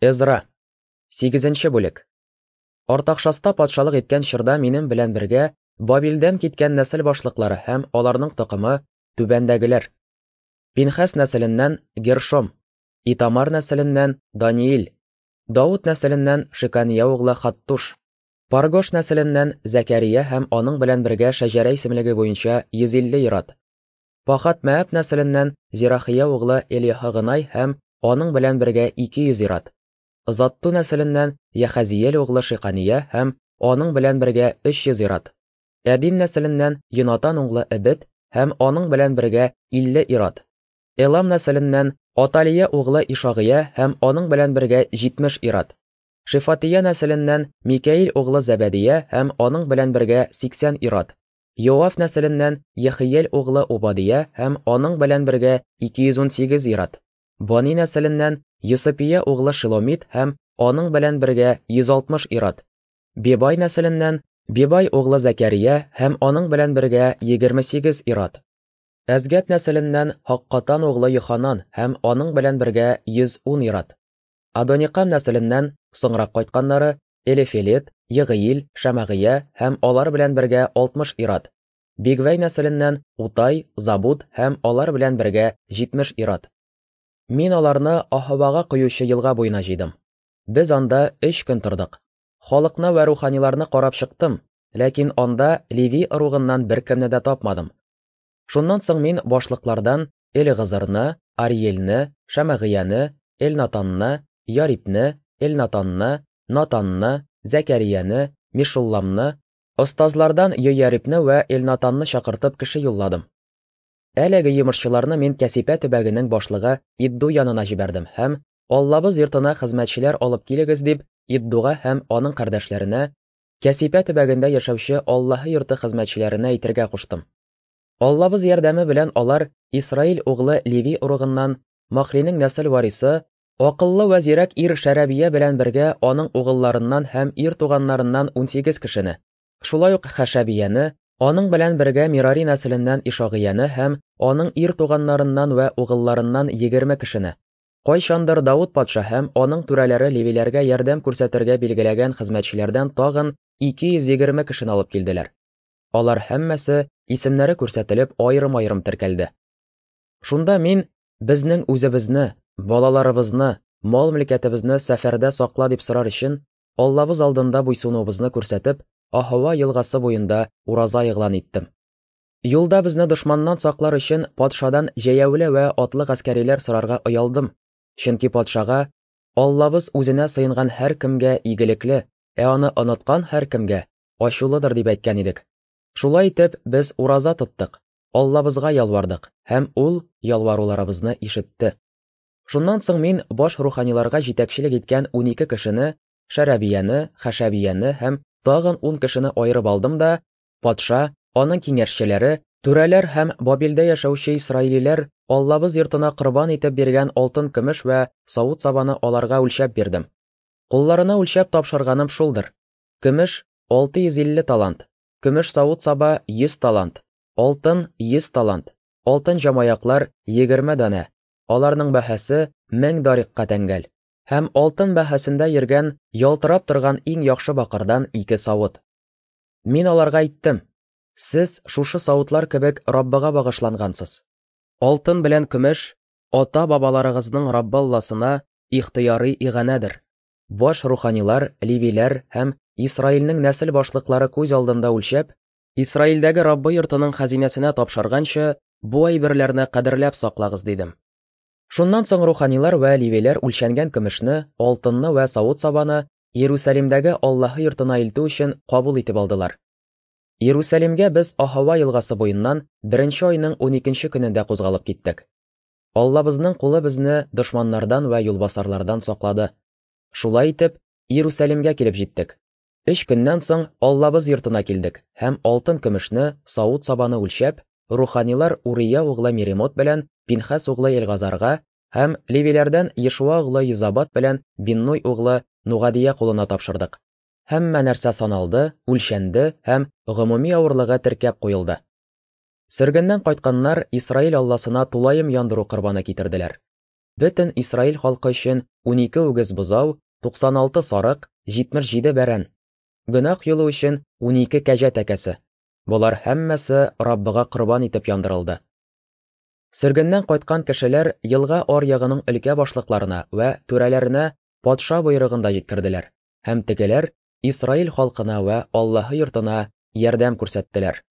Эзра. Сигезенче бүлек. Артакшаста патшалык иткән чорда минем белән бергә Бабилдән киткән нәсел башлыклары һәм аларның токымы түбәндәгеләр. Пинхәс нәселеннән Гершом, Итамар нәселеннән Даниил, Давыт нәселеннән Шекания углы Хаттуш, Паргош нәселеннән Зәкәрия һәм аның белән бергә шәҗәрә исемлеге буенча 150 ир-ат. Пахат Мәәб нәселеннән Зирахия углы Элиһагынай һәм аның белән бергә 200 ир-ат. Затту нәселеннән Яхазиел углы Шикания һәм аның белән бергә 300 ир-ат. Әдин нәселеннән Йонатан углы Эбет һәм аның белән бергә 50 ир-ат. Элам нәселеннән Аталия углы Ишагыя һәм аның белән бергә 70 ир-ат. Шефатия нәселеннән Микәил углы Зәбәдия һәм аның белән бергә 80 ир-ат. Йоав нәселеннән Ехиел углы Убадия һәм аның белән бергә 218 ир-ат. Бани нәселеннән Йосыпия углы Шиломит һәм аның белән бергә 160 ир-ат. Бебай нәселеннән Бебай углы Зәкәрия һәм аның белән бергә 28 ир-ат. Әзгәт нәселеннән Һаккатан углы Йоханан һәм аның белән бергә 110 ир-ат. Адоникам нәселеннән соңрак кайтканнары Элифелет, Егыил, Шәмәгыя һәм алар белән бергә 60 ир-ат. Бигвәй нәселеннән Утай, Забуд һәм алар белән бергә 70 ир-ат. Мин аларны Аһавага коючы елга буена җыйдым. Без анда өч көн тордык. Халыкны вә руханиларны карап чыктым, ләкин анда Леви ыругыннан беркемне дә тапмадым. Шуннан соң мин башлыклардан Элегызырны, Ариэльне, Шәмәгыяне, Элнатанны, Ярибне, Элнатанны, Натанны, Зәкәрияне, Мешулламны, остазлардан Йоярибне вә Элнатанны чакыртып кеше юлладым. Әлеге йомышчыларны мин Кәсипә төбәгенең башлыгы Идду янына җибәрдем һәм Аллабыз йортына хезмәтчеләр алып килегез дип Иддуга һәм аның кардәшләренә, Кәсипә төбәгендә яшәүче Аллаһы йорты хезмәтчеләренә әйтергә куштым. Аллабыз ярдәме белән алар Исраил углы Леви ыругыннан Махлинең нәсел варисы, акыллы вә зирәк ир Шәрәбия белән бергә аның угылларыннан һәм ир туганнарыннан 18 кешене, шулай ук Хәшәбияне, аның белән бергә Мирари нәселеннән Ишагыяне һәм аның ир туганнарыннан вә угылларыннан 20 кешене, кайчандыр Давыт патша һәм аның түрәләре левиләргә ярдәм күрсәтергә билгеләгән хезмәтчеләрдән тагын 220 кешене алып килделәр. Алар һәммәсе исемнәре күрсәтелеп аерым-аерым теркәлде. Шунда мин безнең үзебезне, балаларыбызны, мал-мөлкәтебезне сәфәрдә сакла дип сорар өчен Аллабыз алдында буйсынуыбызны күрсәтеп, Аһава елгасы буенда ураза игълан иттем. Юлда безне дошманнан саклар өчен патшадан җәяүле вә атлы гаскәриләр сорарга оялдым, чөнки патшага Аллабыз үзенә сыенган һәркемгә игелекле, ә аны оныткан һәркемгә ачулыдыр дип әйткән идек. Шулай итеп, без ураза тоттык, Аллабызга ялвардык, һәм ул ялваруларыбызны ишетте. Шуннан соң мин баш руханиларга җитәкчелек иткән 12 кешене, Шәрәбияне, Хәшәбияне һәм тагын 10 кешене аерып алдым да, патша, аның киңәшчеләре, түрәләр һәм Бабилдә яшәүче исраилиләр Аллабыз йортына корбан итеп биргән алтын-көмеш вә савыт-сабаны аларга үлчәп бирдем. Кулларына үлчәп тапшырганым шулдыр: көмеш 650 талант, көмеш савыт-саба 100 талант, алтын 100 талант, алтын җамаяклар 20 данә, аларның бәһасе 1000 дарикка тәңгәл, һәм алтын бәһасендә йөргән ялтырап торган иң яхшы бакырдан ике савыт. Мин аларга әйттем: Сез шушы савытлар кебек Раббыга багышлангансыз. Алтын белән көмеш ата-бабаларыгызның Раббы Алласына ихтыярый иганәдер. Баш руханилар, левиләр һәм Исраилнең нәсел башлыклары күз алдында үлчәп, Исраилдәге Раббы йортының хәзинәсенә тапшырганчы, бу әйберләрне кадерләп саклагыз, дидем. Шуннан соң руханилар вә левиләр үлчәнгән көмешне, алтынны вә савыт-сабаны Иерусалимдәге Аллаһы йортына илтү өчен кабул итеп алдылар. Иерусалимгә без Аһава елгасы буеннан беренче айның 12 көнендә кузгалып киттек. Аллабызның кулы безне дошманнардан вә юлбасарлардан саклады. Шулай итеп, Иерусалимгә килеп җиттек. Өч көннән соң Аллабыз йортына килдек һәм алтын-көмешне, савыт-сабаны үлчәп, руханилар Урия углы Меремот белән Пинхас углы Элгазарга һәм левиләрдән Ешуа углы Йозабат белән Биннуй углы Нугадия кулына тапшырдык. Һәммә нәрсә саналды, үлчәнде һәм гомуми авырлыгы теркәп куелды. Сөргеннән кайтканнар Исраил Алласына тулаем яндыру корбаны китерделәр. Бөтен Исраил халкы өчен 12 үгез бозау, 96 сарык, 77 бәрән. Гөнаһ юлы өчен 12 кәҗә тәкәсе. Болар һәммәсе Раббыга корбан итеп яндырылды. Сөргеннән кайткан кешеләр елга аръягының өлкә башлыкларына вә түрәләренә патша боерыгын да җиткерделәр, һәм тегеләр Исраил халкына вә Аллаһы йортына ярдәм күрсәттеләр.